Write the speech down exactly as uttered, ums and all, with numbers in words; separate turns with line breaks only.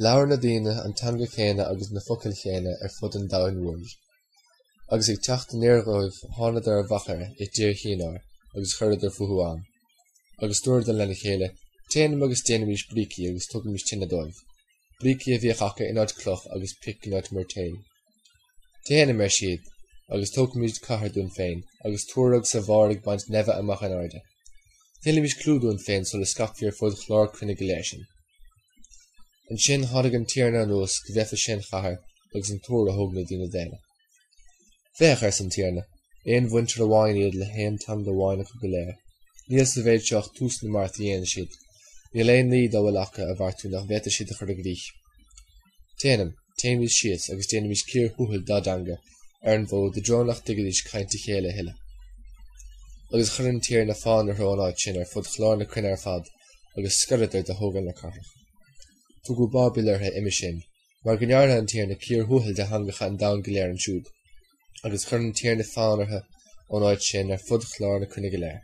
Labhair na daoine an teanga chéanna agus na focail chéanna ar fud an domhain mhóir. Agus ag teacht aniar dóibh thánadar ar mhachaire i dtír Shíneár agus chuireadar fúthu ann. Agus dúradar lena chéile, Téanam agus déanaimis brící agus tugaimis tine dóibh. Brící a bhíodh acu in áit cloch agus pic in áit moirtéal. Téanam, ar siad, agus tógfaimid cathair dúinn féin, agus túr agus a bharr ag baint neimhe amach in airde. Tuillfimid clú dúinn féin sula scaipfí ar fud chlár cruinne go léir sinn. Ansin tháinig an Tiarna anuas go bhfeicfeadh sé an chathair agus an túr a thóg na daoine daonna. Féach, arsa an Tiarna, aon mhuintir amháin iad le haon teanga amháin acu go léir. Níl sa mhéid seo ach tús na mbeart a dhéanann siad. Níl aon ní dá bhfuil acu a bheartú nach bhféadfaidh siad a chur i gcrích. Téanam, téimid síos agus déanaimid cíor thuathail dá dteanga ar an bhfód i dtreo nach dtuigfidís caint a chéile a thuilleadh. Agus chuir an Tiarna fonn orthu ón áit sin ar fud chlár na cruinne ar fad agus scoireadar de thógáil na cathrach. Tugadh Báibil uirthi uime sin, mar go ndearna an Tiarna cíor thuathail de theangacha an domhain go léir ansiúd, agus chuir an Tiarna fonn orthu ón áit sin ar fud chlár na cruinne go léir.